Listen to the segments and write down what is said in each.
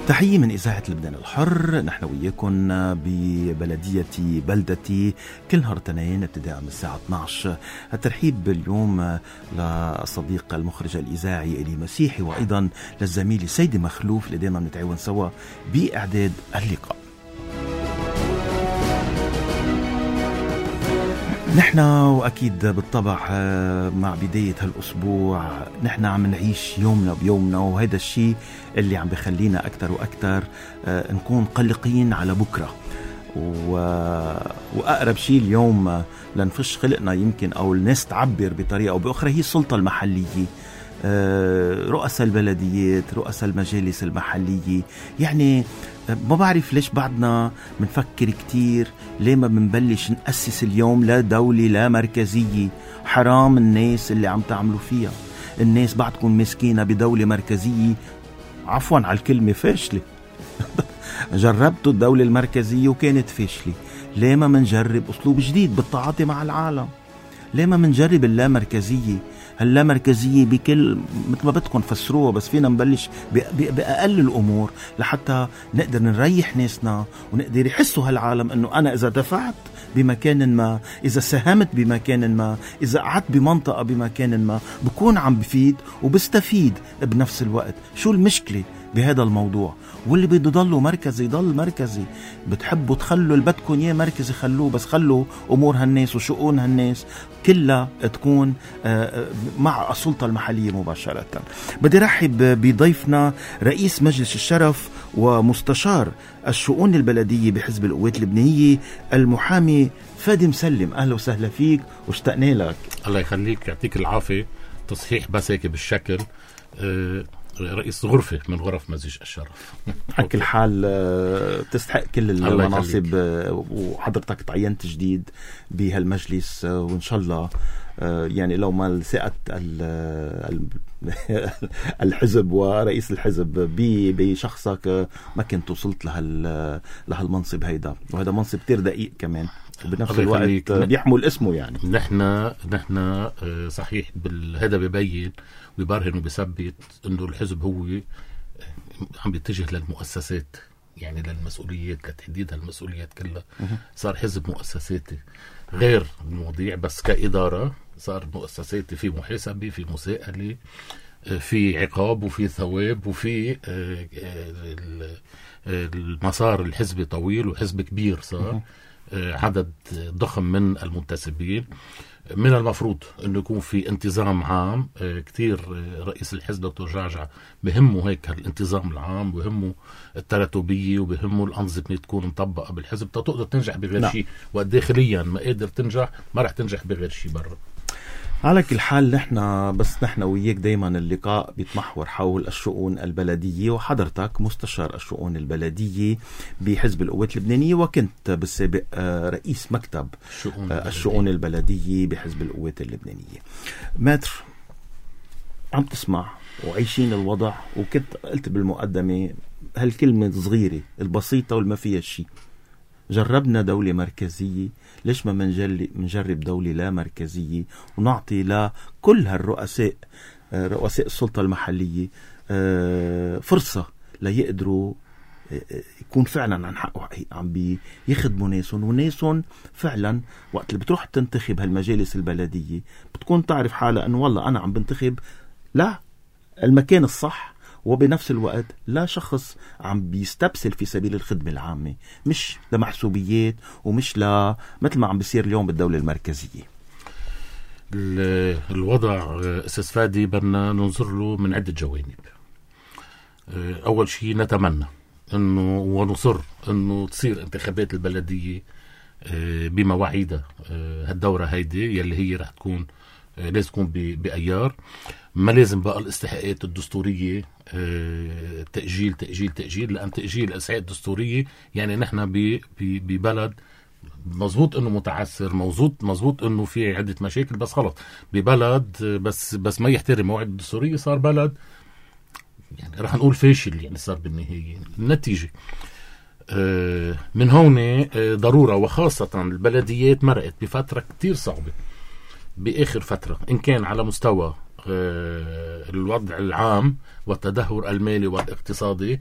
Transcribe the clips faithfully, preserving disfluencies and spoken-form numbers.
تحية من إذاعة لبنان الحر. نحن وياكم ببلدية بلدتي كل نهار اثنين ابتداء من الساعة اثني عشر. الترحيب اليوم للصديق المخرج الإذاعي إلي مسيحي، وأيضا للزميل سيدي مخلوف اللي دائما نتعاون سوا بإعداد اللقاء. نحن وأكيد بالطبع مع بداية هالأسبوع نحن عم نعيش يومنا بيومنا، وهذا الشيء اللي عم بخلينا أكتر وأكتر نكون قلقين على بكرة. وأقرب شيء اليوم لنفش خلقنا يمكن أو الناس تعبر بطريقة أو بأخرى هي السلطة المحلية، رؤساء البلديات، رؤساء المجالس المحلية. يعني ما بعرف ليش بعدنا منفكر كتير ليه ما بنبلش نأسس اليوم لا دولة لا مركزية. حرام الناس اللي عم تعملوا فيها. الناس بعدكم مسكينة بدولة مركزية، عفوا على الكلمة، فاشلة. جربتوا الدولة المركزية وكانت فاشلة. ليه ما منجرب أسلوب جديد بالتعاطي مع العالم؟ ليه ما منجرب اللامركزية؟ هاللامركزية بكل مثل ما بدكم فسروها، بس فينا نبلش بأقل الأمور لحتى نقدر نريح ناسنا ونقدر يحسوا هالعالم أنه أنا إذا دفعت بمكان ما، إذا ساهمت بمكان ما، إذا قعدت بمنطقة بمكان ما، بكون عم بفيد وبستفيد بنفس الوقت. شو المشكلة بهذا الموضوع؟ واللي بده يضلوا مركزي يضل مركزي. بتحبوا تخلوا اللي بدكم اياه مركزي خلوه، بس خلوا امور هالناس وشؤون هالناس كلها تكون مع السلطة المحلية مباشرة. بدي رحب بضيفنا رئيس مجلس الشرف ومستشار الشؤون البلدية بحزب القوات اللبنانية المحامي فادي مسلم. اهلا وسهلا فيك واشتقنا لك. الله يخليك، يعطيك العافية. تصحيح بس هيك بالشكل، أه رئيس غرفة من غرف مجلس الشرف. على كل حال تستحق كل المناصب، وحضرتك تعينت جديد بهالمجلس، وإن شاء الله يعني لو ما لسقت الحزب ورئيس الحزب بشخصك ما كنت وصلت لهالمنصب هيدا. وهذا منصب كتير دقيق كمان، وبنفس الوقت بيحمل اسمه. يعني نحن نحن صحيح هذا ببين ويبرهن وبيثبت انه الحزب هو عم بيتجه للمؤسسات، يعني للمسؤوليات، لتحديد هالمسؤوليات كلها. صار حزب مؤسساتي غير المواضيع، بس كإدارة صار مؤسساتي، في محاسبة، في مساءلة، في عقاب، وفي ثواب، وفي المسار الحزبي طويل وحزب كبير. صار عدد ضخم من المنتسبين. من المفروض انه يكون في انتظام عام كتير. رئيس الحزب دكتور جعجع بهمه هيك الانتظام العام، بهمه التراتبية، وبهمه الأنظمة تكون مطبقة بالحزب تقدر تنجح بغير شيء. وداخليا ما قادر تنجح، ما رح تنجح بغير شيء برا. على كل حال نحن بس نحن وياك دايما اللقاء بيتمحور حول الشؤون البلدية، وحضرتك مستشار الشؤون البلدية بحزب القوات اللبنانية، وكنت بالسابق رئيس مكتب الشؤون, الشؤون البلدية بحزب القوات اللبنانية. ماتر، عم تسمع وعيشين الوضع، وكنت قلت بالمقدمة هالكلمة الصغيرة البسيطة والما فيها شيء. جربنا دولة مركزية، ليش ما منجرب دولة لا مركزية ونعطي لكل هالرؤساء رؤساء السلطة المحلية فرصة ليقدروا يكون فعلا عن حقه عم بيخدموا ناسهم، وناسهم فعلا وقت اللي بتروح تنتخب هالمجالس البلدية بتكون تعرف حالة أنه والله أنا عم بنتخب لا المكان الصح، وبنفس الوقت لا شخص عم بيستبسل في سبيل الخدمة العامة، مش لمحسوبيات ومش ل مثل ما عم بيصير اليوم بالدولة المركزية. الوضع أساس فادي بدنا ننظر له من عدة جوانب. أول شيء نتمنى أنه ونصر أنه تصير انتخابات البلدية بمواعيدها هالدورة هيدي يلي هي رح تكون لازم تكون بأيار. ما لازم بقى الاستحقاقات الدستورية تأجيل تأجيل تأجيل، لأن تأجيل الاستحقاقات الدستورية يعني نحن ببلد مزبوط انه متعسر، مزبوط مزبوط انه في عدة مشاكل، بس خلص ببلد بس بس ما يحترم موعد الدستورية صار بلد يعني رح نقول فاشل. يعني صار بالنهاية النتيجة من هون ضرورة، وخاصة البلديات مرقت بفترة كتير صعبة بآخر فترة، إن كان على مستوى الوضع العام والتدهور المالي والاقتصادي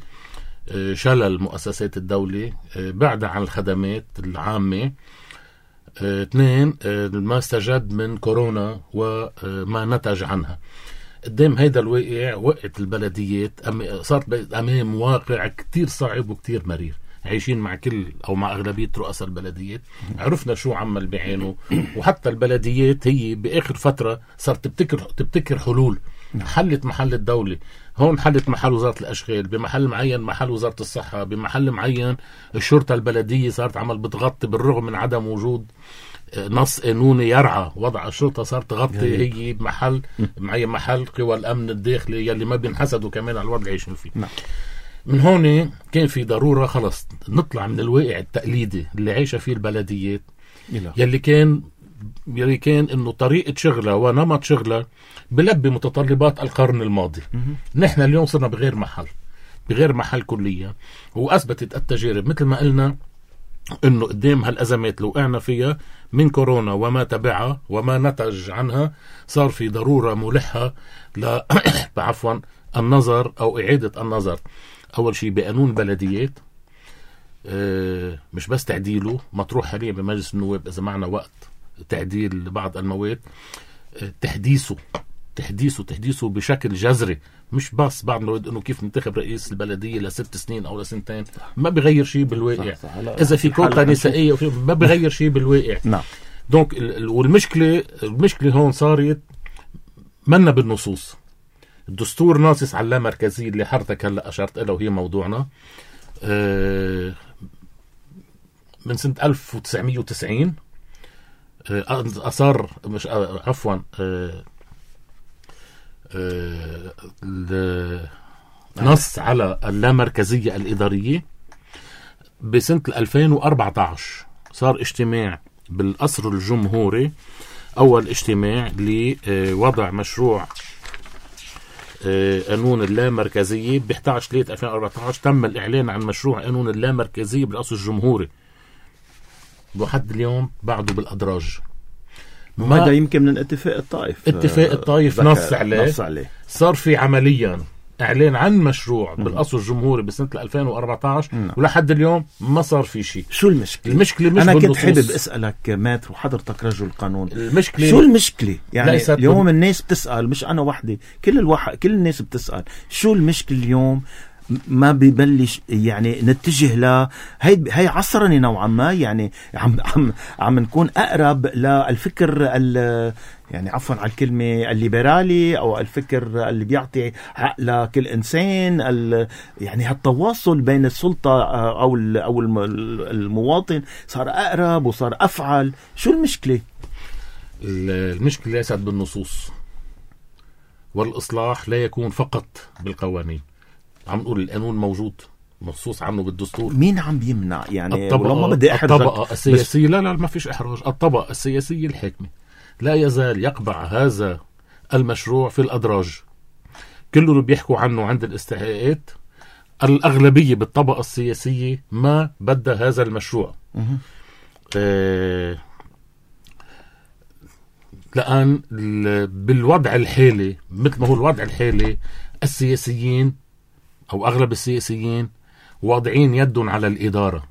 شلل مؤسسات الدولة، بعدها عن الخدمات العامة. اثنين، ما استجد من كورونا وما نتج عنها. قدام هيدا الواقع وقت البلديات صارت أمام واقع كتير صعب وكتير مرير. عايشين مع كل أو مع أغلبية رؤساء البلديات، عرفنا شو عمل بعينه. وحتى البلديات هي بآخر فترة صارت تبتكر تبتكر حلول، حلت محل الدولة. هون حلت محل وزارة الأشغال، بمحل معين محل وزارة الصحة، بمحل معين الشرطة البلدية صارت عمل بتغطي بالرغم من عدم وجود نص قانوني يرعى وضع الشرطة، صارت تغطي هي بمحل معين محل قوى الأمن الداخلي يلي ما بينحسدوا كمان على الوضع اللي عايشين فيه. نعم. من هون كان في ضرورة خلص نطلع من الواقع التقليدي اللي عايشة فيه البلديات يلي كان يلي كان انه طريقة شغلها ونمط شغلها بلبي متطلبات القرن الماضي. نحن اليوم صرنا بغير محل بغير محل كليا. وأثبتت التجارب مثل ما قلنا انه قدام هالأزمات اللي وقعنا فيها من كورونا وما تبعها وما نتج عنها، صار في ضرورة ملحة ل عفوا النظر او اعادة النظر اول شيء بقانون البلديات، اه مش بس تعديله مطروح حاليا بمجلس النواب اذا معنا وقت تعديل بعض المواد، اه تحديثه تحديثه تحديثه بشكل جذري. مش بس بعض المواد انه كيف ننتخب رئيس البلديه لست سنين او لسنتين، ما بغير شيء بالواقع. صح صح. اذا في كوتا نسائيه ما بغير شيء بالواقع. نعم. دونك والمشكله المشكله هون صارت منا بالنصوص. الدستور ناصص على اللامركزيه اللي حضرتك هلا اشرت لها وهي موضوعنا آه من سنه ألف وتسعمية وتسعين. آه اصر مش آه عفوا آه آه نص على اللامركزيه الاداريه. بسنه ألفين وأربعة عشر صار اجتماع بالقصر الجمهوري، اول اجتماع لوضع مشروع قانون اللامركزية. ب إحدى عشر ثلاثة ألفين وأربعة عشر تم الإعلان عن مشروع قانون اللامركزية بالقصر الجمهوري، لحد اليوم بعده بالأدراج. وهذا يمكن من اتفاق الطائف اتفاق الطائف نص عليه. نص عليه. صار في عمليا إعلان عن مشروع بالقصر الجمهوري بسنة ألفين وأربعة عشر م. ولحد اليوم ما صار في شيء. شو المشكلة؟ المشكلة مش أنا بالنصوص. كنت حابب أسألك ماتر وحضرتك رجل قانون، المشكلة شو المشكلة؟ يعني اليوم بال... الناس بتسأل، مش أنا وحدي، كل الواحد كل الناس بتسأل شو المشكلة اليوم. ما بيبلش يعني نتجه ل هي هي عصرني نوعا ما، يعني عم عم عم نكون اقرب للفكر ال يعني عفوا على الكلمه الليبرالي او الفكر اللي بيعطي حق لكل انسان. يعني هالتواصل بين السلطه او او المواطن صار اقرب وصار افعل. شو المشكله؟ المشكله ليست بالنصوص، والاصلاح لا يكون فقط بالقوانين. عم نقول القانون موجود مخصوص عنه بالدستور. مين عم بيمنع يعني؟ الطبقة, بدي الطبقة السياسية لا لا ما فيش إحراج. الطبقة السياسية الحاكمة لا يزال يقبع هذا المشروع في الأدراج. كله اللي بيحكوا عنه عند الاستحقاقات الأغلبية بالطبقة السياسية ما بدها هذا المشروع. آه لأن بالوضع الحالي مثل ما هو الوضع الحالي السياسيين أو أغلب السياسيين واضعين يدهم على الإدارة،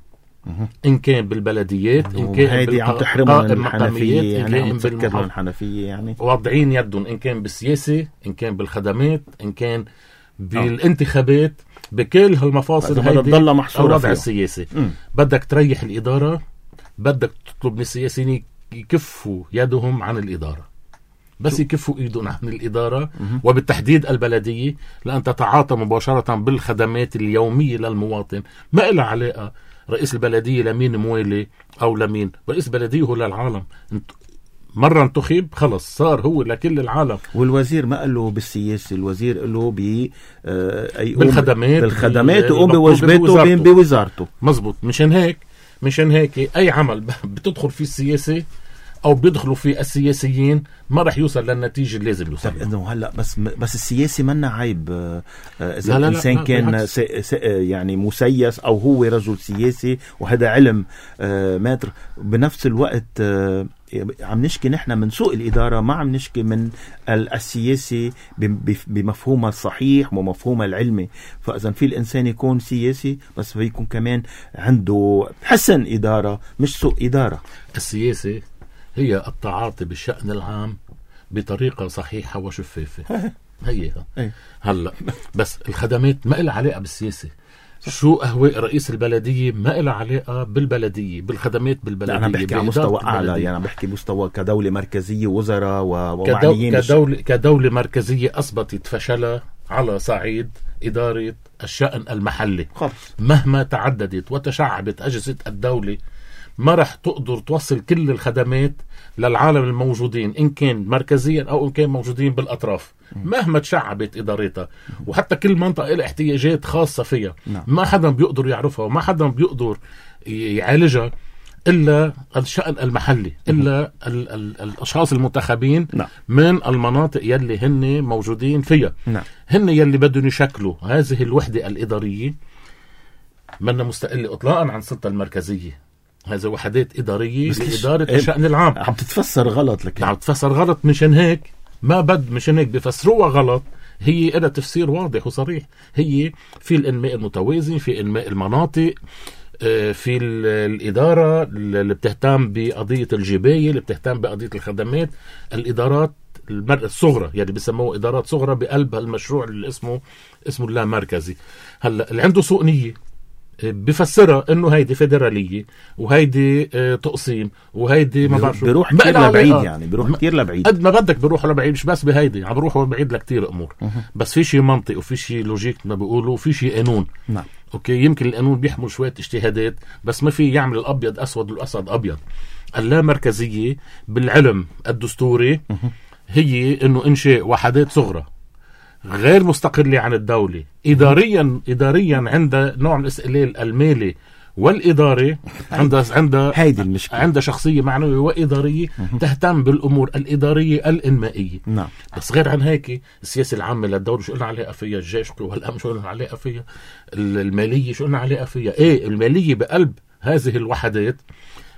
إن كان بالبلديات إن كان بالقائمة الحنفية، يعني عم تفكر الحنفية، يعني واضعين يدهم إن كان بالسياسة إن كان بالخدمات إن كان بالانتخابات. بكل هالمفاصل هيدي الوضع السياسي. م. بدك تريح الإدارة، بدك تطلب من السياسيين يكفوا يدهم عن الإدارة. بس يكفوا ايدهم عن الإدارة وبالتحديد البلدية، لأن تتعاطى مباشرة بالخدمات اليومية للمواطن. ما لها علاقة رئيس البلدية لمين موالي أو لمين. رئيس البلدية هو للعالم. مرة انتخب خلص صار هو لكل العالم. والوزير ما قال له بالسياسة، الوزير قال له ب بالخدمات بالخدمات وقوم بواجباته بوزارته. مزبوط. مشان هيك مشان هيك أي عمل بتدخل فيه السياسة أو بيدخلوا في السياسيين ما رح يوصل للنتيجة اللي لازم يوصل. طب إنه هلا بس بس السياسي منا عيب إذا الإنسان كان س س يعني مسيس أو هو رجل سياسي، وهذا علم ماتر. بنفس الوقت عم نشكي نحن من سوء الإدارة، ما عم نشكي من السياسي بمفهومها الصحيح ومفهومها العلمي. فإذا في الإنسان يكون سياسي بس فيكون كمان عنده حسن إدارة مش سوء إدارة. السياسة هي التعاطي بالشأن العام بطريقة صحيحة وشفافة. هي هلا بس الخدمات ما إلها علاقة بالسياسة. شو أهواء رئيس البلدية ما إلها علاقة بالبلدية، بالخدمات بالبلدية. أنا بحكي على مستوى أعلى، يعني بحكي مستوى كدولة مركزية، وزراء ومعنيين. كدولة, كدولة مركزية أثبتت فشلها على صعيد إدارة الشأن المحلي. خلص. مهما تعددت وتشعبت أجهزة الدولة ما رح تقدر توصل كل الخدمات للعالم الموجودين، إن كان مركزيا أو إن كان موجودين بالأطراف. مهما تشعبت إدارتها، وحتى كل منطقة لها احتياجات خاصة فيها. نعم. ما حدا بيقدر يعرفها وما حدا بيقدر يعالجها إلا الشأن المحلي، إلا ال ال الأشخاص المنتخبين. نعم. من المناطق يلي هن موجودين فيها. نعم. هن يلي بدهم يشكلوا هذه الوحدة الإدارية، منا مستقلة إطلاقا عن السلطة المركزية. هذا وحدات إدارية لإدارة إيه الشأن العام. عم تتفسر غلط لك. عم تتفسر غلط. مشان هيك ما بد مشان هيك بفسروها غلط. هي لها تفسير واضح وصريح. هي في الإنماء المتوازن، في إنماء المناطق، في الإدارة اللي بتهتم بقضية الجباية، اللي بتهتم بقضية الخدمات، الإدارات الصغرى يعني بيسموه إدارات صغرى بقلب المشروع اللي اسمه اسمه لا مركزي. هلا اللي عنده سوء نية بفسرها انه هيدي فيدراليه وهيدي اه تقسيم وهيدي ما بعرف بيروح كتير لبعيد، يعني بيروح كتير لبعيد قد ما بدك بيروحوا لبعيد. مش بس بهيدي، عم بيروحوا لبعيد لكتير امور. أه. بس في شيء منطق وفي شيء لوجيك ما بيقولوا، وفي شيء قانون. نعم. اوكي، يمكن القانون بيحمل شويه اجتهادات بس ما في يعمل الابيض اسود والاسود ابيض. اللامركزيه بالعلم الدستوري أه. هي انه انشاء وحدات صغرى غير مستقلة عن الدولة، إداريا إداريا عندها نوع من الاستقلال المالي والإداري. عندها عندها هيدي المشكلة. عندها شخصية معنوية وإدارية تهتم بالأمور الإدارية الإنمائية. نعم. بس غير عن هيك السياسة العامة للدولة شو قلنا عليها فيها، الجيش والأمن شو قلنا عليها فيها، المالية شو قلنا عليها فيها. إيه المالية بقلب هذه الوحدات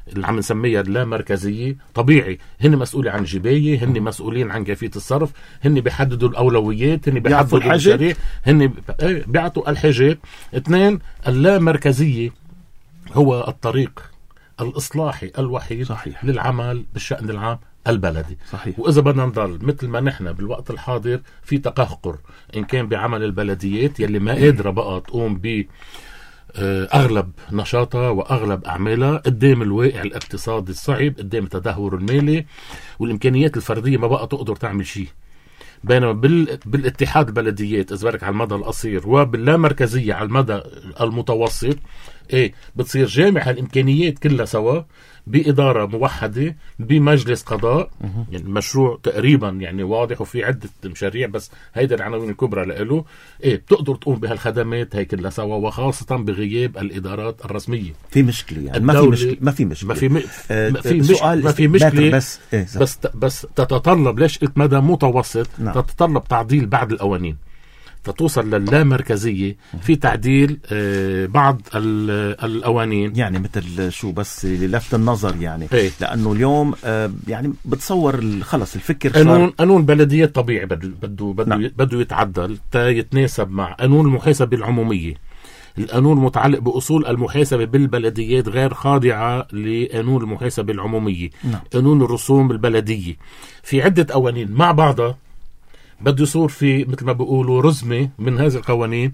اللي عم نسميها لا مركزية. طبيعي هن مسؤولين عن جباية، هن مسؤولين عن كيفية الصرف، هن بيحددوا الأولويات، هن بيحددوا المشاريع، هن بيعطوا الحاجات. اثنين، اللا مركزية هو الطريق الإصلاحي الوحيد. صحيح. للعمل بالشأن العام البلدي. صحيح. وإذا بدنا نضل مثل ما نحن بالوقت الحاضر في تقهقر إن كان بعمل البلديات يلي ما قادرة بقى تقوم ب أغلب نشاطها وأغلب أعمالها قدام الواقع الاقتصادي الصعب، قدام التدهور المالي والإمكانيات الفردية ما بقى تقدر تعمل شيء. بينما بال... بالاتحاد البلديات إذا بدك على المدى القصير وباللامركزية على المدى المتوسط، إيه بتصير جامع الإمكانيات كلها سوا بإدارة موحدة بمجلس قضاء. يعني مشروع تقريبا يعني واضح وفي عدة مشاريع بس هيدا العناوين الكبرى لإله. إيه بتقدر تقوم بهالخدمات هي كلها سوا، وخاصة بغياب الإدارات الرسمية. في مشكلة يعني ما في مشكلة ما في مشكلة ما في م... آه ما في مش... ما في مشكلة بس إيه بس بس تتطلب ليش قلت مدى متوسط. نعم. تتطلب تعديل بعض القوانين فتوصل للامركزية. في تعديل آه بعض القوانين يعني مثل شو بس للفت النظر يعني. ايه؟ لأنه اليوم آه يعني بتصور خلص الفكر قانون قانون بلديات طبيعي بده بده بده نعم. بده يتعدل تا يتناسب مع قانون المحاسبة العمومية. القانون متعلق بأصول المحاسبة بالبلديات غير خاضعة لقانون المحاسبة العمومية. نعم. قانون الرسوم البلدية في عدة قوانين مع بعضها بده يصير في مثل ما بيقولوا رزمة من هذه القوانين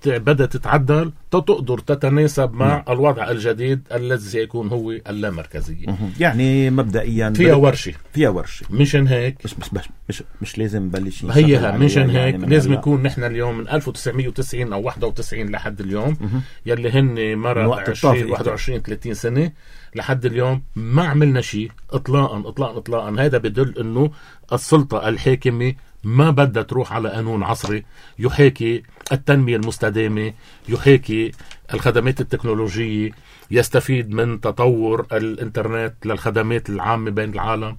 بدأت تتعدل تقدر تتناسب مع م. الوضع الجديد الذي سيكون هو اللامركزية. يعني مبدئيا فيها ورشة فيها ورشة مشان هيك مش مش مش, مش لازم نبلش هي مشان هيك يعني لازم يكون نحن اليوم من ألف وتسعمية وتسعين أو واحد وتسعين لحد اليوم م. يلي هن مرة عشرين واحد وعشرين ثلاثين سنة لحد اليوم ما عملنا شيء إطلاقا إطلاقا إطلاقا. هذا بدل إنه السلطة الحاكمة ما بدها تروح على قانون عصري يحاكي التنمية المستدامة، يحاكي الخدمات التكنولوجية، يستفيد من تطور الانترنت للخدمات العامة بين العالم.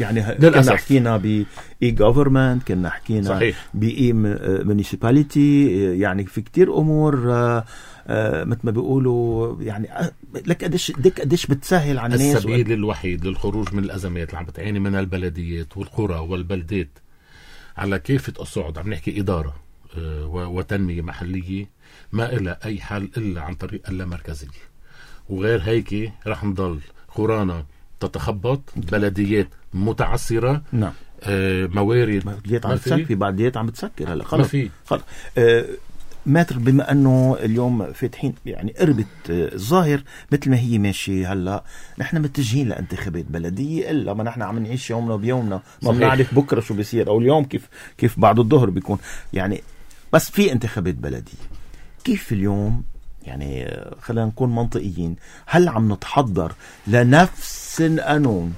يعني كنا حكينا ب اي government، كنا حكينا ب اي municipality، يعني في كتير امور آه آه مثل ما بيقولوا، يعني لك قديش ديك قديش بتسهل على الناس. السبيل وقد... الوحيد للخروج من الازمات اللي عم بتعاني منها البلديات والقرى والبلدات على كافة الصعد، عم نحكي اداره آه وتنميه محليه، ما إلى اي حل الا عن طريق اللامركزيه. وغير هيك رح نضل قرانا تتخبط، بلديات متعثره، نعم، آه موارد بلديات عم تسكر، في بلديات عم بتسكر هلا خلص ما في خلص. آه ماتر بما انه اليوم فاتحين يعني قربت الظاهر مثل ما هي ماشي هلا، نحن متجهين لانتخابات بلديه، الا ما نحن عم نعيش يومنا بيومنا، ما بنعرف بكره شو بيصير او اليوم كيف كيف بعد الظهر بيكون يعني. بس في انتخابات بلديه، كيف اليوم يعني خلينا نكون منطقيين، هل عم نتحضر لنفس القانون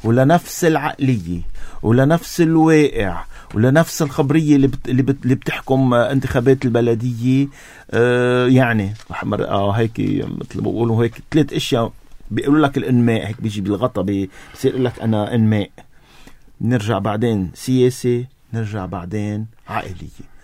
ولنفس العقليه ولنفس الواقع ولنفس الخبرية اللي بت... اللي, بت... اللي بتحكم انتخابات البلدية؟ آه يعني آه هيك مثل ما بقولوا هيك ثلاث اشياء بيقولوا لك الانماء، هيك بيجي بالغطا بيصير يقول لك انا انماء، نرجع بعدين سياسي، نرجع بعدين عائلية.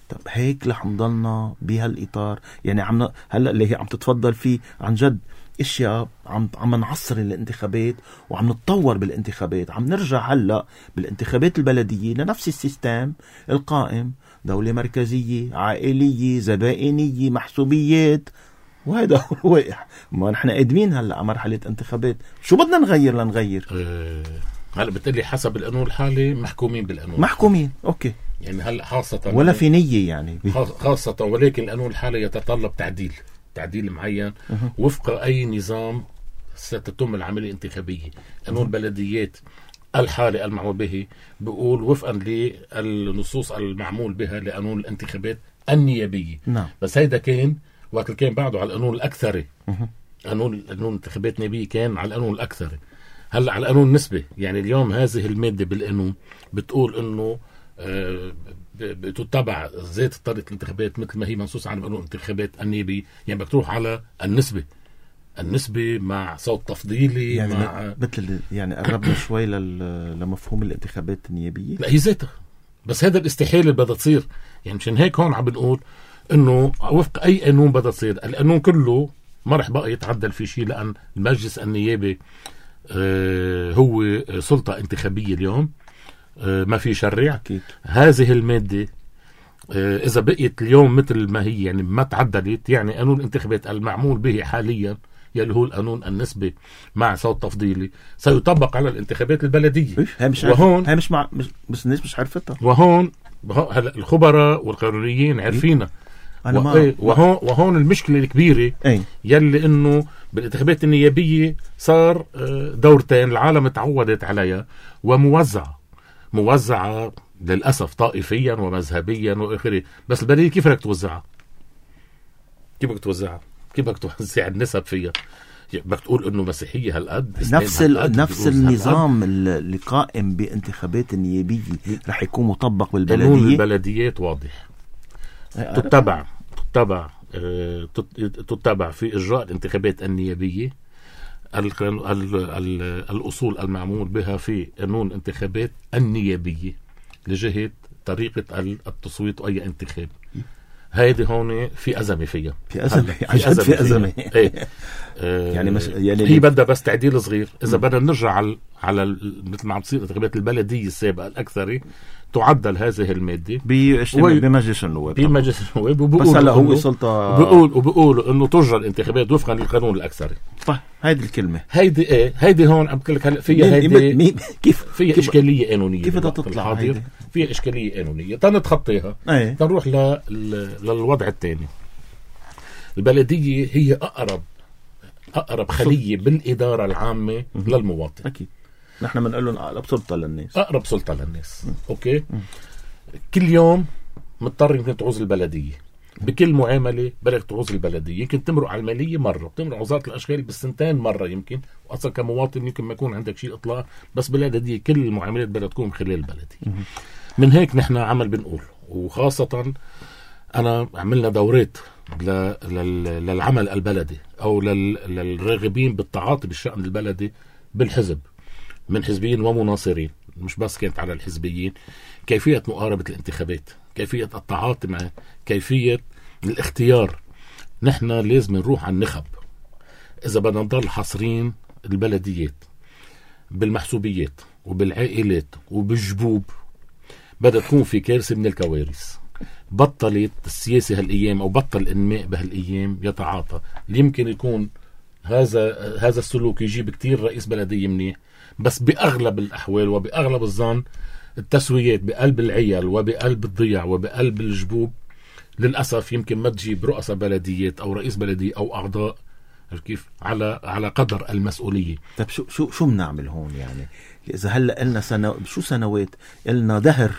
طب هيك رح نضلنا بهالاطار؟ يعني عم هلا اللي هي عم تتفضل فيه عن جد اشياء عم عم نعصر الانتخابات وعم نتطور بالانتخابات، عم نرجع هلا بالانتخابات البلديه لنفس السيستم القائم، دوله مركزيه عائليه زبائنيه محسوبيات، وهذا هو الواقع. ما نحن قادمين هلا على مرحله انتخابات، شو بدنا نغير لنغير؟ أه هلا بتقلي حسب القانون الحالي محكومين بالقانون، محكومين اوكي، يعني هلا خاصه ولا في نيه يعني خاصه، ولكن القانون الحالي يتطلب تعديل تعديل معين وفق أي نظام ستتم العملية الانتخابية. قانون البلديات الحالي المعمول به بيقول وفقا للنصوص المعمول بها لقانون الانتخابات النيابية. نعم. بس هيدا كان وقت كان بعده على القانون الأكثري، قانون قانون الانتخابات النيابية كان على القانون الأكثري، هلا على القانون النسبي. يعني اليوم هذه المادة بالقانون بتقول إنه آه بتتبع ذات طريقة الانتخابات مثل ما هي منصوص عن قانون الانتخابات النيابي، يعني بدك تروح على النسبة النسبة مع صوت تفضيلي، يعني مع مثل يعني قربنا شوي لمفهوم الانتخابات النيابية. لا هي ذاتها، بس هذا الاستحالة اللي بدها تصير. يعني مشان هيك هون عم بنقول انه وفق اي قانون بدها تصير، القانون كله ما رح بقى يتعدل في شيء، لان المجلس النيابي آه هو سلطة انتخابية اليوم، ما في شرع. أكيد. هذه المادة إذا بقيت اليوم مثل ما هي يعني ما تعدلت، يعني قانون الانتخابات المعمول به حاليا يلي هو القانون النسبي مع صوت تفضيلي سيطبق على الانتخابات البلدية. هي مش وهون هي مش مع مش بس الناس مش عرفتها، وهون هلا الخبراء والقانونيين عارفينها. أنا ما وهون وهون المشكلة الكبيرة أي. يلي إنه بالانتخابات النيابية صار دورتين العالم تعودت عليها وموزعة موزعة للأسف طائفيا ومذهبيا وآخره. بس البلدية كيف بدك توزعها؟ كيف بدك توزعها؟ كيف بدك توزع النسب فيها؟ بدك تقول إنه مسيحية هالقد، نفس ال... نفس النظام اللي قائم بانتخابات النيابية رح يكون مطبق بالبلدية. قانون البلديات واضح، تتبع تتبع تتبع في إجراء الانتخابات النيابية ال ال ال الأصول المعمول بها في قانون الانتخابات النيابية لجهة طريقة التصويت وأي انتخاب. هيدي هون في أزمة فيها، في أزمة في أزمة, في أزمة. ايه آه يعني, مش يعني هي بدها بس تعديل صغير. إذا بدنا نرجع على على مثل ما عم تصير انتخابات البلدية السابقة الأكثري، تعدل هذه المادة بمجلس النواب بمجلس النواب، بس هلا هو سلطة وبقول وبقولوا إنه تجرى الانتخابات وفقا للقانون الأكثري. طيب هيدي الكلمة هيدي إيه هيدي هون عم بقول لك هلا فيها هيدي كيف فيها كيف إشكالية قانونية، كيف بدها تطلع هيدي؟ فيها إشكالية قانونية تنتخطيها. أيه. تنروح ل... للوضع الثاني. البلدية هي أقرب أقرب خلية بالإدارة العامة م- للمواطن. أكيد نحن بنقول لهم أقرب سلطة للناس، أقرب سلطة للناس. م. أوكي. م. كل يوم مضطر يمكن تعوز البلدية بكل معاملة، بدك تعوز البلدية. يمكن تمرق على المالية مرة، بتمرق على وزارة الأشغال بالسنتين مرة، يمكن وأصلا كمواطن يمكن ما يكون عندك شيء إطلاق، بس بلدية كل المعاملات بدها تكون خلال البلدية. م. من هيك نحن عمل بنقول، وخاصة أنا عملنا دورات للعمل البلدي أو للراغبين بالتعاطي بالشأن البلدي بالحزب، من حزبيين ومناصرين، مش بس كانت على الحزبيين، كيفية مقاربة الانتخابات، كيفية التعاطي معه، كيفية الاختيار. نحن لازم نروح على النخب. إذا بدنا نضل حصرين البلديات بالمحسوبيات وبالعائلات وبالجبوب، بدأ تكون في كارثة من الكوارث. بطلت السياسة هالأيام أو بطل الإنماء بهالأيام يتعاطى. يمكن يكون هذا هذا السلوك يجيب كتير رئيس بلدية منيح، بس بأغلب الأحوال وبأغلب الظن التسويات بقلب العيال وبقلب الضياع وبقلب الجبوب للأسف يمكن ما تجيب رؤساء بلديات أو رئيس بلدية أو أعضاء كيف على على قدر المسؤولية. طيب شو شو شو بنعمل هون يعني؟ إذا هلا قلنا سنة شو سنوات قلنا دهر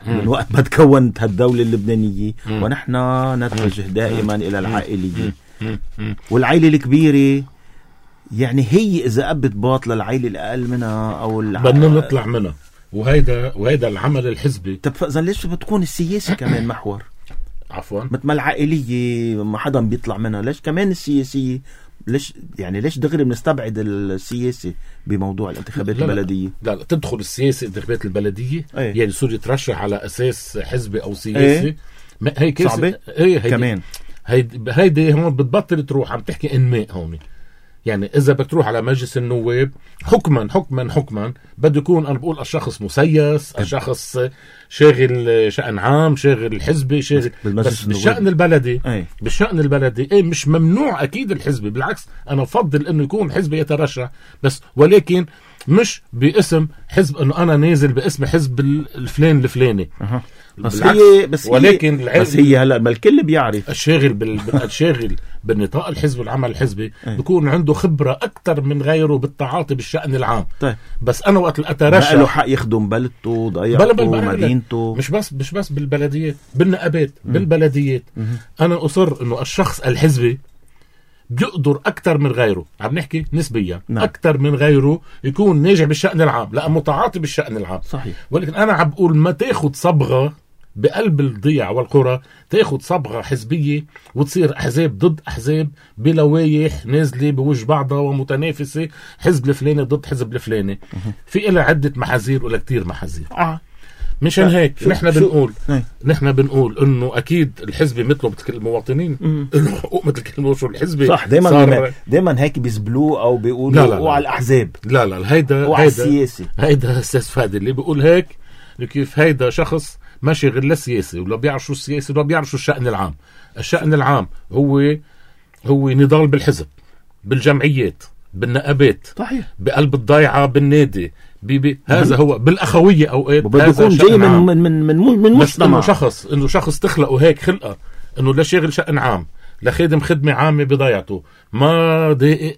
من وقت ما تكونت هالدولة اللبنانية، مم. ونحن نتوجه دائما مم. إلى العائلية، مم. مم. والعائلة الكبيرة يعني هي إذا أبت باطلة العائلة الأقل منها أو الع... بدنا نطلع منها. وهيدا وهيدا العمل الحزبي. طب فإذا ليش بتكون السياسة كمان محور؟ عفوا مثل ما العائلية ما حدا بيطلع منها، ليش كمان السياسية؟ ليش يعني ليش دغري بنستبعد السياسة بموضوع الانتخابات لا البلدية؟ لا, لا تدخل السياسة انتخابات البلدية أيه. يعني يصير يترشح على أساس حزبي أو سياسي. أيه. ما هي كيسة صعبة ايه هيدي كمان. هيدي هيدي هون بتبطل تروح عم تحكي انماء هون. يعني إذا بتروح على مجلس النواب حكما حكما حكما بده يكون أنا بقول الشخص مسيس، الشخص شاغل شأن عام، شاغل حزبي، شاغل بس بالشأن البلدي. أي. بالشأن البلدي ايه مش ممنوع أكيد الحزبي، بالعكس أنا بفضل إنه يكون حزبي يترشح، بس ولكن مش باسم إنه أنا نازل باسم حزب الفلان الفلاني. أه. بس هي بس ولكن هي بس هي هلا ما الكل بيعرف الشاغل بال الشاغل بالنطاق الحزب والعمل الحزبي بيكون عنده خبرة أكتر من غيره بالتعاطي بالشأن العام. طيب. بس أنا وقت أترشح ما له حق يخدم بلدته ضيعته مدينته، مش بس مش بس بالبلديات، بالنقابات، بالبلديات. م- أنا أصر إنه الشخص الحزبي بيقدر أكتر من غيره، عم نحكي نسبيا نعم. أكتر من غيره يكون ناجح بالشأن العام، لا متعاطي بالشأن العام. صحيح. ولكن أنا عم بقول ما تاخد صبغة بقلب الضيع والقرى، تاخد صبغة حزبية وتصير أحزاب ضد أحزاب بلوايح نازلة بوجه بعضها ومتنافسة، حزب الفلاني ضد حزب الفلاني. في إلى عدة محاذير ولا كتير محاذير. آه. مشان هيك نحن بنقول ناي. نحن بنقول انه اكيد الحزب مثله مثل كل المواطنين له حقوق مثل كل المواطنين. الحزب صح دائما صار... دائما هيك بيزبلوه او بيقولوا وعلى الاحزاب. لا لا هيدا وعلى السياسي. هيدا استاذ فادي اللي بيقول هيك كيف هيدا شخص ما شغل لا سياسي ولا بيعرف شو السياسي ولا بيعرف شو الشأن العام. الشأن العام هو هو نضال بالحزب، بالجمعيات، بالنقابات، صحيح، بقلب الضيعة، بالنادي، بي هذا هو بالاخويه اوقات بده يكون جاي من من من من, من مجتمع. انه شخص انه شخص تخلقه هيك خلقه انه لا شاغل شأن عام، لا خادم خدمه عامه بضيعته، ما دقق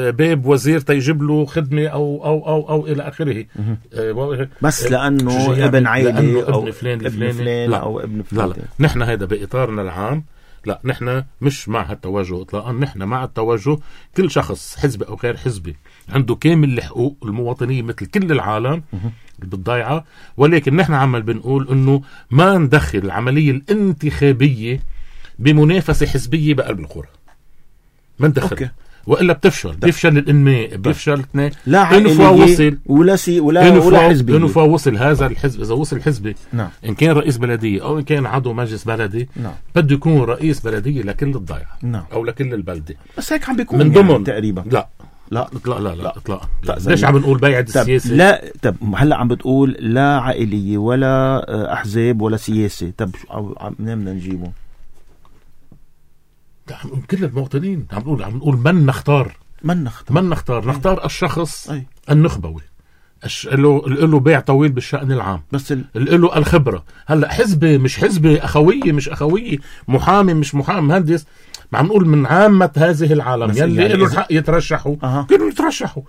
باب وزير تيجيب له خدمه او او او او الى اخره، بس لانه ابن عائله او ابن فلان ابن فلان او ابن فلان. لا لا نحن هذا باطارنا العام، لا نحن مش مع هالتوجه اطلاقا. نحن مع التوجه كل شخص حزبي او غير حزبي عنده كامل الحقوق المواطنيه مثل كل العالم بالضيعه، ولكن نحن عمل بنقول انه ما ندخل العمليه الانتخابيه بمنافسه حزبيه بقلب القرى، ما ندخل أوكي. والا بتفشل ده. بيفشل الانماء، بيفشل اثنين، لا عائليه ولا سي ولا ولا حزبيه. انه فوصل هذا الحزب، اذا وصل حزبي نعم. ان كان رئيس بلديه او ان كان عضو مجلس بلدي نعم. بده يكون رئيس بلديه لكل الضيعه نعم. او لكل البلده، بس هيك عم بيكون من ضمن يعني تقريبا. لا لا لا لا لا اطلاقا. ليش عم نقول بيعة السياسه؟ لا طب هلا عم بتقول لا عائليه ولا احزاب ولا سياسه، طب منين بدنا نجيبه؟ عم نقول كل المواطنين، عم نقول عم نقول من نختار من نختار من نختار نختار الشخص أي. النخبوي له له بيع طويل بالشأن العام، بس ال... له الخبرة. هلا حزبي مش حزبي، أخوية مش أخوية، محامي مش محامي، مهندس، ما عم نقول من عامة هذه العالم يلي يعني له الحق يترشحوا أه. كانوا يترشحوا.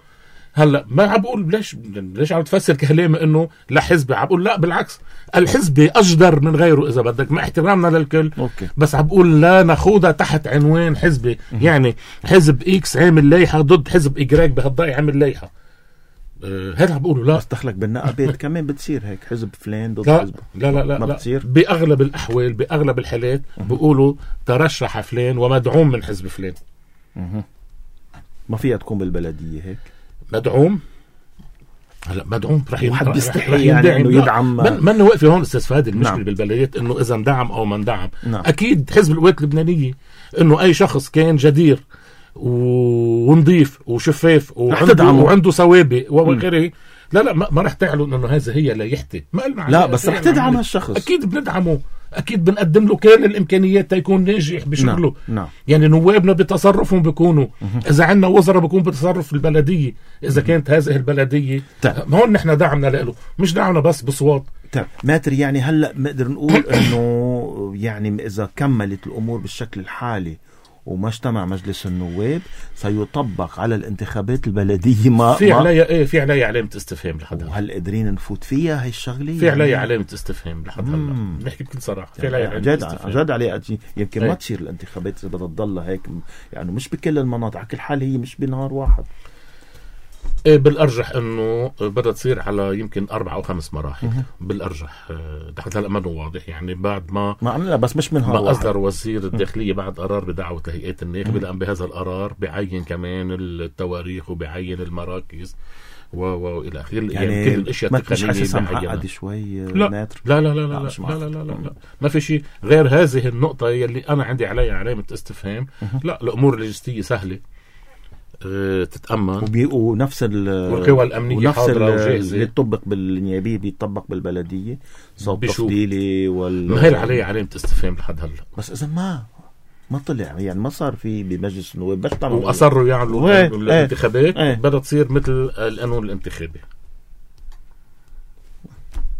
هلا ما عم بقول ليش ليش عم تفسر كلامي انه لا حزبي، عم بقول لا بالعكس، الحزبي اجدر من غيره اذا بدك، مع احترامنا للكل أوكي. بس عم بقول لا ناخذها تحت عنوان حزبي. يعني حزب اكس عامل لائحه ضد حزب اجراك بهالضيعه عامل لائحه، أه هذا عم بقوله. لا بس دخلك بالنقابات كمان بتصير هيك حزب فلان ضد لا حزب. لا لا لا, ما لا. بتصير باغلب الاحوال باغلب الحالات بيقولوا ترشح فلان ومدعوم من حزب فلان. ما فيها تكون بالبلديه هيك مدعوم هلا مدعوم رح وحد بيستحي يعني انه يدعم. من واقف هون استاذ فهد المشكله نعم. بالبلديات انه اذا اندعم او ما اندعم. نعم. اكيد حزب القوات اللبنانيه انه اي شخص كان جدير ونظيف وشفاف وعنده, وعنده سوابق وغيره لا لا ما رح تعلن انه هذا هي لايحتي. لا بس رح تدعم هالشخص. اكيد بندعمه، اكيد بنقدم له كل الامكانيات تيكون ناجح بشغله. نعم. نعم. يعني نوابنا بتصرفهم بيكونوا اذا عندنا وزراء بيكون بتصرف البلديه اذا كانت هذه البلديه. هون نحن دعمنا له، مش دعمنا بس بصوات. طيب ماتر يعني هلا بنقدر نقول انه يعني اذا كملت الامور بالشكل الحالي وما اجتمع مجلس النواب سيطبق على الانتخابات البلديه ما في عليها ايه في عليها علامه استفهام لحد هلا. وهل قادرين نفوت فيها هي الشغله؟ في عليها علامه استفهام لحد هلا، بنحكي بكل صراحه في عليها علامه استفهام. جد عليها يمكن ما تصير الانتخابات اذا بدها تضل هيك يعني مش بكل المناطق على كل حال، هي مش بنهار واحد. إيه بالارجح انه بدها تصير على يمكن اربع او خمس مراحل. مه. بالارجح لحد هلا ما واضح يعني بعد ما ما عملنا بس مش من ما اصدر وزير الداخليه بعد قرار بدعوه هيئات الناخبه، لان بهذا القرار بعين كمان التواريخ وبعين المراكز و و الى اخره. يعني, يعني كل الاشياء التقنيه معقده شوي. لا. لا لا لا لا لا, لا, لا, لا, لا, لا, لا ما في شيء غير هذه النقطه يلي انا عندي عليها علامه استفهام. لا الامور اللوجستيه سهله تتأمن ونفس والقوى الأمنية حاضرة وجاهزة. اللي يطبق بالنيابية بيطبق بالبلدية صوت تفضيلي وال ما هي عليه علامة استفهام لحد هلا. بس إذا ما ما طلع يعني ما صار في بمجلس النواب بس وأصروا يعملوا الانتخابات ايه. بدها تصير مثل القانون الانتخابي.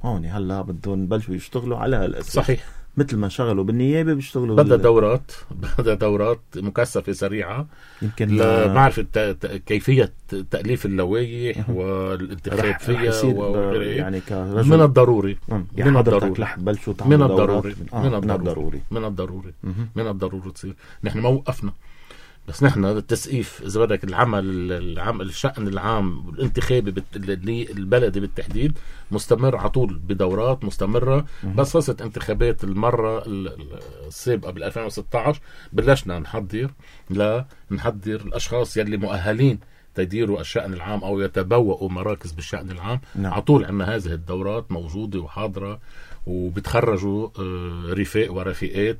هون هلا بدهم يبلشوا يشتغلوا على هالأساس. صحيح. مثل ما شغلوا بالنيابة بيشتغلوا بدها دورات بدها دورات مكثفة سريعة يمكن لمعرفة كيفية تأليف اللوائح والانتخاب فيها وغيره. يعني من الضروري يعني من الضروري رح تبلشوا تعملوا من الضروري آه من الضروري من الضروري من الضروري تصير. نحن ما وقفنا بس نحن التسقيف اذا بدك العمل العمل الشأن العام الانتخابي البلدي بالتحديد مستمر على طول بدورات مستمره. بس خلصت انتخابات المره السابقه بال ألفين وستة عشر بلشنا نحضر لا نحضر الاشخاص يلي مؤهلين تديروا الشأن العام او يتبوأوا مراكز بالشأن العام. نعم. على طول عندنا هذه الدورات موجوده وحاضره وبتخرجوا رفاق ورفيقات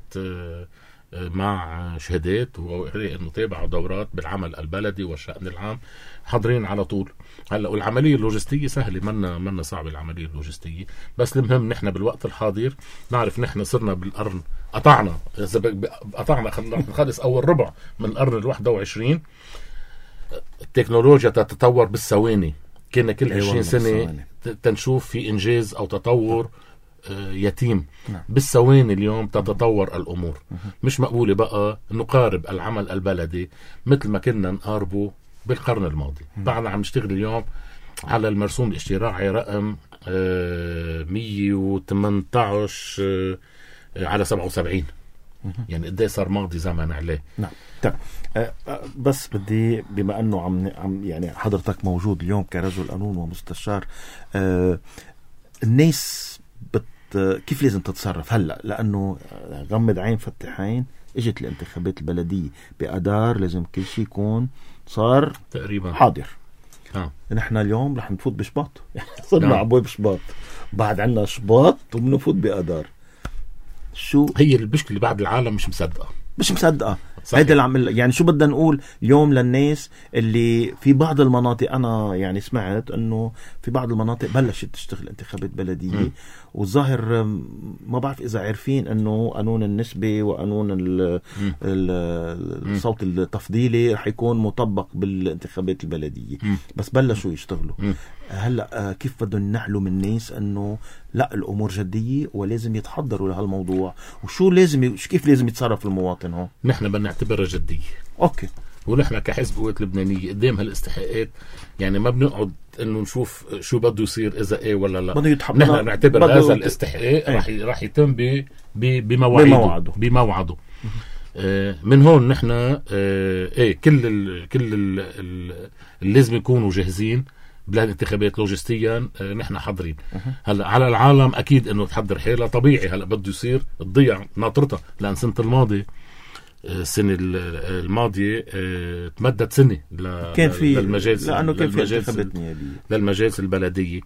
مع شهادات وانه تابعوا دورات بالعمل البلدي والشأن العام حاضرين على طول. هلا والعمليه اللوجستيه سهله منا منا صعبه العمليه اللوجستيه. بس المهم نحن بالوقت الحاضر نعرف نحن صرنا بالقرن قطعنا قطعنا خلص اول ربع من القرن الواحد وعشرين. التكنولوجيا تتطور بالثواني. كنا كل عشرين سنه تنشوف في انجاز او تطور يتيم. نعم. بالثواني اليوم تتطور الأمور. مه. مش مقبولة بقى نقارب العمل البلدي مثل ما كنا نقاربه بالقرن الماضي. بعدنا عم نشتغل اليوم على المرسوم الاشتراعي رقم مية وثمانية عشر على سبعة وسبعين. مه. يعني قد ايه صار ماضي زمن عليه. نعم. طيب أه بس بدي بما انه عم عم يعني حضرتك موجود اليوم كرجل قانون ومستشار أه الناس بت كيف لازم تتصرف هلا؟ لانه غمض عين فتح عين اجت الانتخابات البلديه بأدار لازم كل شيء يكون صار تقريبا حاضر. اه نحن اليوم رح نفوت بشباط صرنا عبوي بشباط بعد عنا شباط وبنفوت بأدار. شو هي المشكله بعد العالم مش مصدقه مش مصدقه هيدا اللي عمل. يعني شو بدنا نقول اليوم للناس اللي في بعض المناطق انا يعني سمعت انه في بعض المناطق بلشت تشتغل انتخابات بلديه م. والظاهر ما بعرف اذا عارفين انه قانون النسبه وقانون الصوت التفضيلي رح يكون مطبق بالانتخابات البلديه. م. بس بلشوا يشتغلوا. م. هلا كيف بدهم ينحلوا من الناس انه لا الامور جديه ولازم يتحضروا لهالموضوع وشو لازم كيف لازم يتصرف المواطن هون؟ نحن بدنا نعتبرها جديه. اوكي. ونحن كحزب قوات لبنانيه قدام هالاستحقاقات يعني ما بنقعد انه نشوف شو بده يصير اذا ايه ولا لا. نحن نعتبر هذا الاستحقاق راح ايه. راح يتم ب بمواعيده بموعده. آه من هون نحن آه ايه كل ال كل ال ال اللي لازم يكونوا جاهزين بالانتخابات لوجستيا. آه نحن حاضرين. هلا على العالم اكيد انه تحضر حالها طبيعي. هلا بده يصير تضيع ناطرتها لان سنه الماضي السنة الماضية تمدد سنة كان في للمجالس لأنه كان في للمجالس, انتخابات للمجالس البلدية.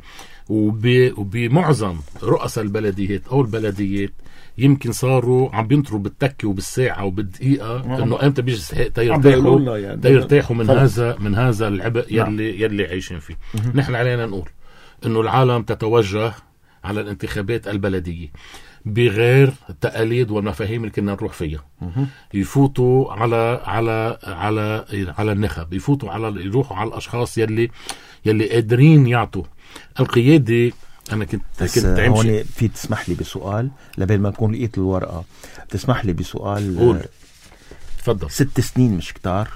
وبمعظم رؤساء البلديات أو البلديات يمكن صاروا عم بينطروا بالتكة وبالساعة وبالدقيقة إنه إمتى بيجي استحق تيرتاحوا يعني تيرتاحوا من خلص. هذا من هذا العبء يلي يلي عايشين فيه. نحن علينا نقول إنه العالم تتوجه على الانتخابات البلدية بغير التقاليد والمفاهيم اللي كنا نروح فيها. يفوتوا على على على على النخب، يفوتوا على يروحوا على الاشخاص يلي يلي قادرين يعطوا القياده. انا كنت كنت هون في تسمح لي بسؤال لبين ما نكون لقيت الورقه، تسمح لي بسؤال؟ قول تفضل. ست سنين مش كتار؟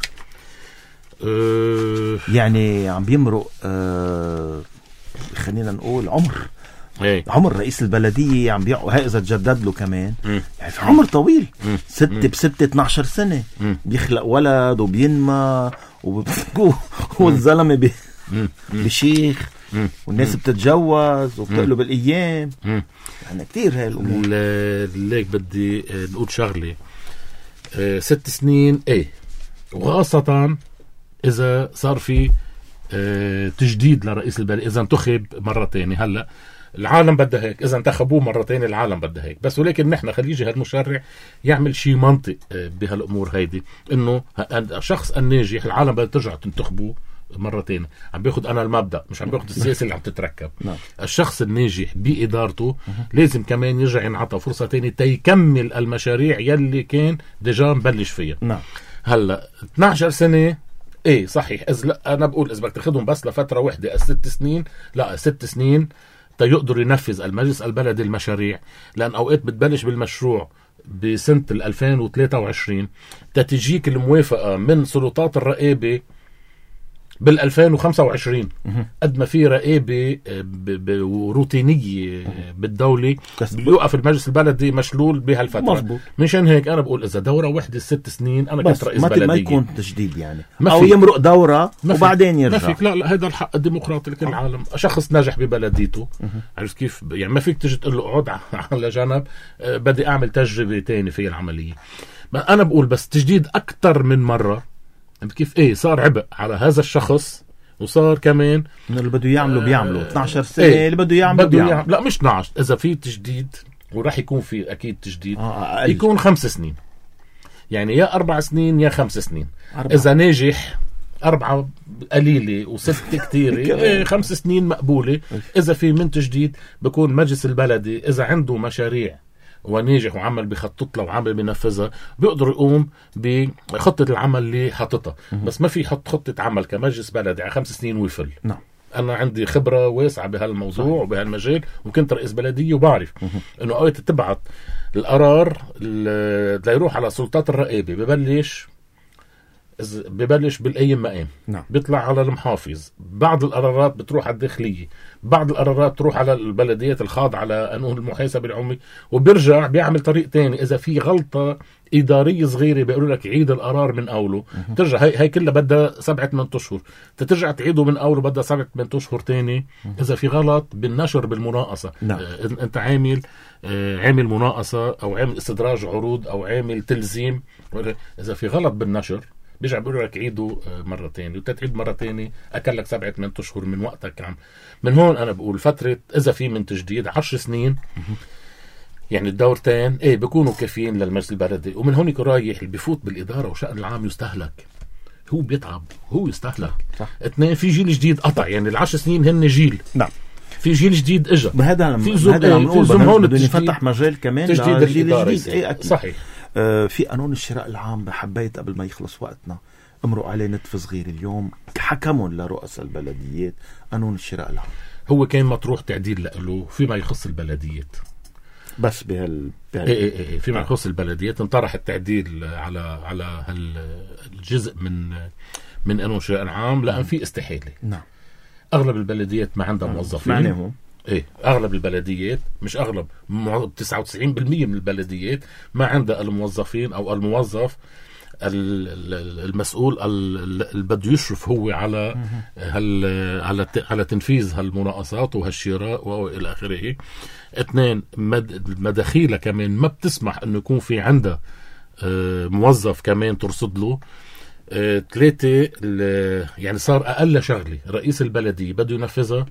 أه يعني عم بيمرق أه خلينا نقول عمر ايه. عمر رئيس البلدية عم بيعوا هاي إذا تجدد له كمان م. يعني في عمر طويل. م. ستة بستة اتناشر سنة م. بيخلق ولد وبينمى والزلمة بي... بشيخ م. والناس بتتجوز وبتقلب الأيام. يعني كتير هاي الأمور. ليك بدي نقول شغلة. اه ست سنين ايه، وخاصة إذا صار في اه تجديد لرئيس البلدية، إذا انتخب مرة تانية. هلأ العالم بدها هيك، إذا انتخبوه مرة تانية العالم بدها هيك. بس ولكن نحن خلي يجي هالمشرع يعمل شيء منطق بهالأمور هيدي، إنه الشخص الناجح العالم بدها ترجع تنتخبوه مرة تانية. عم بياخد أنا المبدأ، مش عم بياخد السياسة اللي عم تتركب. نعم. الشخص الناجح بإدارته لازم كمان يرجع ينعطى فرصة تانية تيكمل المشاريع يلي كان ديجا مبلش فيها. نعم. هلأ اثناشر سنة ايه صحيح. إذ لا انا بقول اذا بدك تاخذهم بس لفتره واحده الست سنين، لا ست سنين تيقدر ينفذ المجلس البلدي المشاريع، لان اوقات بتبلش بالمشروع بسنه ألفين وثلاثة وعشرين تتجيك الموافقه من سلطات الرقابه بال ألفين وخمسة وعشرين. قد ما في رقابه روتينيه بالدوله بيوقف المجلس البلدي مشلول بهالفتره. مظبوط. مشان هيك انا بقول اذا دوره واحده ست سنين انا كنت رئيس بلديه ما يكون تجديد يعني، او يمرق دوره وبعدين يرجع. ما فيك. لا لا هذا الحق الديمقراطي لكل العالم. شخص نجح ببلديته عرفت كيف يعني ما فيك تجي تقول له اقعد على جنب بدي اعمل تجربه تاني في العمليه. انا بقول بس تجديد اكثر من مره كيف ايه صار عبء على هذا الشخص، وصار كمان اللي بده يعملوا بيعملوا اثناشر سنة ايه اللي بده يعملوا بده بيعمل. يعمل. لا مش اثناشر، اذا في تجديد وراح يكون في اكيد تجديد آه يكون خمس سنين، يعني يا اربع سنين يا خمس سنين. أربعة. اذا ناجح أربعة قليلة وست كتيرة إيه خمس سنين مقبولة. إذا في من تجديد بكون مجلس البلدي إذا عنده مشاريع وناجح وعمل بخطط له وعمل بنفذها بيقدر يقوم بخطة العمل اللي حاططها. بس ما في حط خطة عمل كمجلس بلدي على خمس سنين ويفل. نعم. أنا عندي خبرة واسعة بهالموضوع وبهالمجال، وكنت رئيس بلدية وبعرف إنه أوقات تبعت القرار اللي يروح على سلطات الرقابة ببلش ببلش بالأيام مقام. نعم. بيطلع على المحافظ، بعض القرارات بتروح على الداخلية، بعض القرارات بتروح على البلديات الخاضعة على قانون المحاسبة العمومي، وبيرجع بيعمل طريق تاني. إذا في غلطة إدارية صغيرة بيقولوا لك عيد القرار من أوله. م- ترجع هاي, هاي كلها بدها سبعة من أشهر، تترجع تعيده من أوله بدها سبعة من أشهر تاني. م- إذا في غلط بالنشر بالمناقصة. نعم. آه أنت عامل آه عامل مناقصة أو عامل استدراج عروض أو عامل تلزيم، إذا في غلط بالنشر بيرجع بيقول لك عيده مرة تانية، وتتعيد مرة تانية أكلك سبعة من أشهر من وقتك. عم من هون أنا بقول فترة إذا في من تجديد عشر سنين يعني الدورتين إيه بيكونوا كافيين للمجلس البلدي. ومن هون يكون رايح اللي بفوت بالإدارة وشأن العام يستهلك، هو بيتعب هو يستهلك. صح. اثنين في جيل جديد قطع، يعني العشر سنين هن جيل. نعم. في جيل جديد اجى. بهذا في زوم هذا عم نقول هون بدنا نفتح مجال كمان تجديد لجيل الإدارة. جديد. اي اكيد. صحيح. آه في قانون الشراء العام حبيت قبل ما يخلص وقتنا امرق عليه نتف صغير اليوم حكمهم لرؤساء البلديات. قانون الشراء العام هو كان مطروح تعديل له فيما يخص البلديات بس بهال, بهال... إيه إيه إيه فيما يخص البلديات انطرح التعديل على على هالجزء من من قانون الشراء العام لأن في استحالة. نعم. أغلب البلديات ما عندها موظفين. معناهم ايه اغلب البلديات مش اغلب تسعة وتسعين بالمية من البلديات ما عندها الموظفين او الموظف المسؤول اللي بده يشرف هو على هال على على تنفيذ هالمناقصات وهالشراء والى اخره. اثنين مداخيلها كمان ما بتسمح انه يكون في عندها آه موظف كمان ترصد له. آه ثلاثة يعني صار أقل شغلة رئيس البلدية بده ينفذها،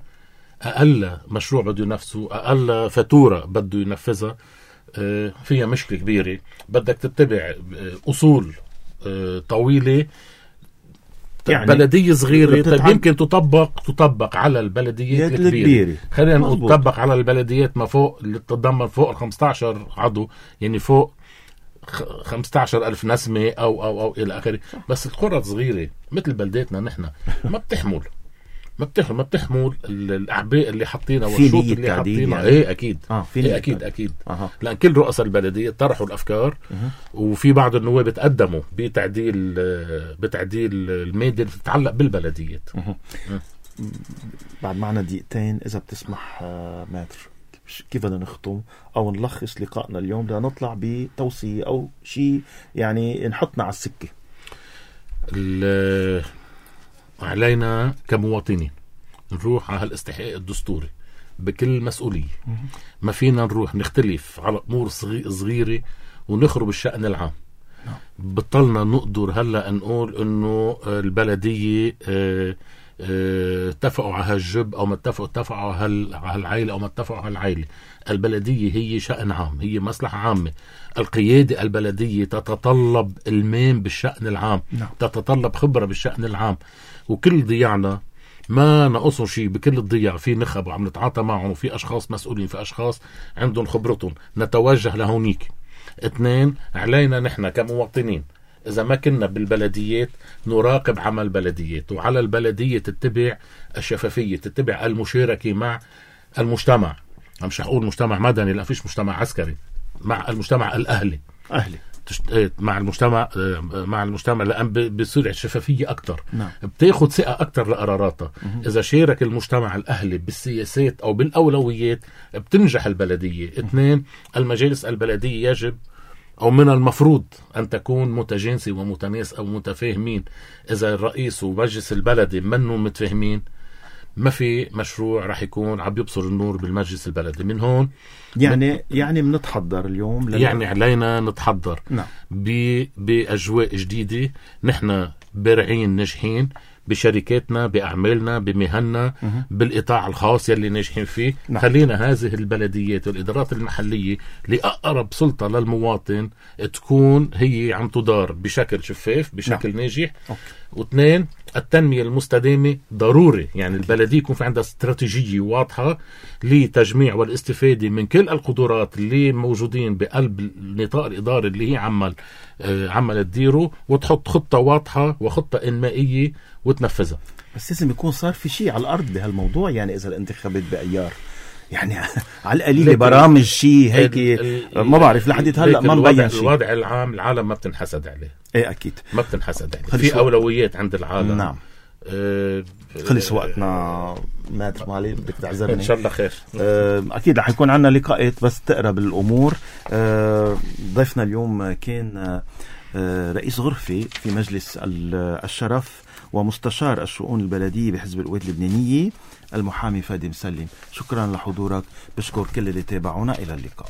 أقل مشروع بده ينفذه، أقل فاتورة بده ينفذها، آه فيها مشكلة كبيرة. بدك تتبع أصول آه طويلة. يعني بلدية صغيرة طيب يمكن تطبق تطبق على البلديات الكبيرة. خلينا نقول تطبق على البلديات ما فوق اللي تتضمن فوق خمسة عشر عضو، يعني فوق خمسة عشر ألف نسمة أو أو أو إلى آخره. بس القرى صغيرة مثل بلداتنا نحن ما بتحمل ما بتحمل ما بتحمل الأعباء اللي حاطينها والشروط اللي حاطينها. يعني. إيه أكيد آه إيه أكيد أكيد آه. لأن كل رؤساء البلدية طرحوا الأفكار أه. وفي بعض النواب تقدموا بتعديل بتعديل المادة اللي تتعلق بالبلديات. أه. أه. بعد معنا دقيقتين إذا بتسمح ماتر، كيف بدنا نختم أو نلخص لقائنا اليوم لنطلع بتوصية أو شيء يعني نحطنا على السكة؟ علينا كمواطنين نروح على الاستحقاق الدستوري بكل مسؤولية. ما فينا نروح نختلف على أمور صغيرة ونخرب الشأن العام. بطلنا نقدر هلأ نقول إنه البلدية اه اتفقوا على هالجب او ما اتفقوا اتفقوا على هالعائله او ما اتفقوا على العائله. البلديه هي شأن عام، هي مصلحه عامه. القياده البلديه تتطلب المام بالشأن العام. نعم. تتطلب خبره بالشأن العام. وكل ضياعنا ما نقصوا شيء، بكل الضياع في نخب وعم نتعاطى معهم، وفي اشخاص مسؤولين، في اشخاص عندهم خبرتهم، نتوجه لهونيك. اثنين، علينا نحن كمواطنين إذا ما كنا بالبلديات نراقب عمل البلديات، وعلى البلدية تتبع الشفافية، تتبع المشاركة مع المجتمع. مش هقول مجتمع مدني، لا فيش مجتمع عسكري، مع المجتمع الأهلي أهلي مع المجتمع مع المجتمع لأن بصير الشفافية أكتر. نعم. بتاخد ثقة أكتر لقراراتها. إذا شارك المجتمع الأهلي بالسياسات أو بالأولويات بتنجح البلدية. اثنين، المجالس البلدية يجب أو من المفروض أن تكون متجانسة ومتناسقة ومتفاهمين. إذا الرئيس ومجلس البلدي منه متفاهمين ما في مشروع رح يكون عم يبصر النور بالمجلس البلدي. من هون يعني من يعني بنتحضر اليوم لل... يعني علينا نتحضر. نعم. بأجواء جديدة. نحن بارعين ناجحين بشركاتنا، بأعمالنا، بمهننا، مه. بالإطاع الخاص يلي ناجحين فيه. نعم. خلينا هذه البلديات والإدارات المحلية لأقرب سلطة للمواطن تكون هي عم تدار بشكل شفاف، بشكل نعم. ناجح. أوكي. واثنين، التنمية المستدامة ضروري. يعني أوكي. البلدية يكون في عندها استراتيجية واضحة لتجميع والاستفادة من كل القدرات اللي موجودين بقلب النطاق الإداري اللي هي عمل آه عمل تديره، وتحط خطة واضحة وخطة إنمائية وتنفذها. بس لازم يكون صار في شيء على الأرض بهالموضوع. يعني إذا الانتخابات بأيار يعني على القليل برامج شيء هيك ما بعرف لحد هلا ما مبين شيء. الوضع العام العالم ما بتنحسد عليه. ايه اكيد ما بتنحسد عليه. في اولويات عند العالم. نعم. أه خلص وقتنا مات مالي، بدك تعذرني. ان شاء الله خير. أه اكيد رح يكون عندنا لقاءات بس تقرب الامور. أه ضيفنا اليوم كان أه رئيس غرفة في مجلس الشرف ومستشار الشؤون البلدية بحزب القوات اللبنانية المحامي فادي مسلم. شكرا لحضورك. بشكر كل اللي تابعونا. إلى اللقاء.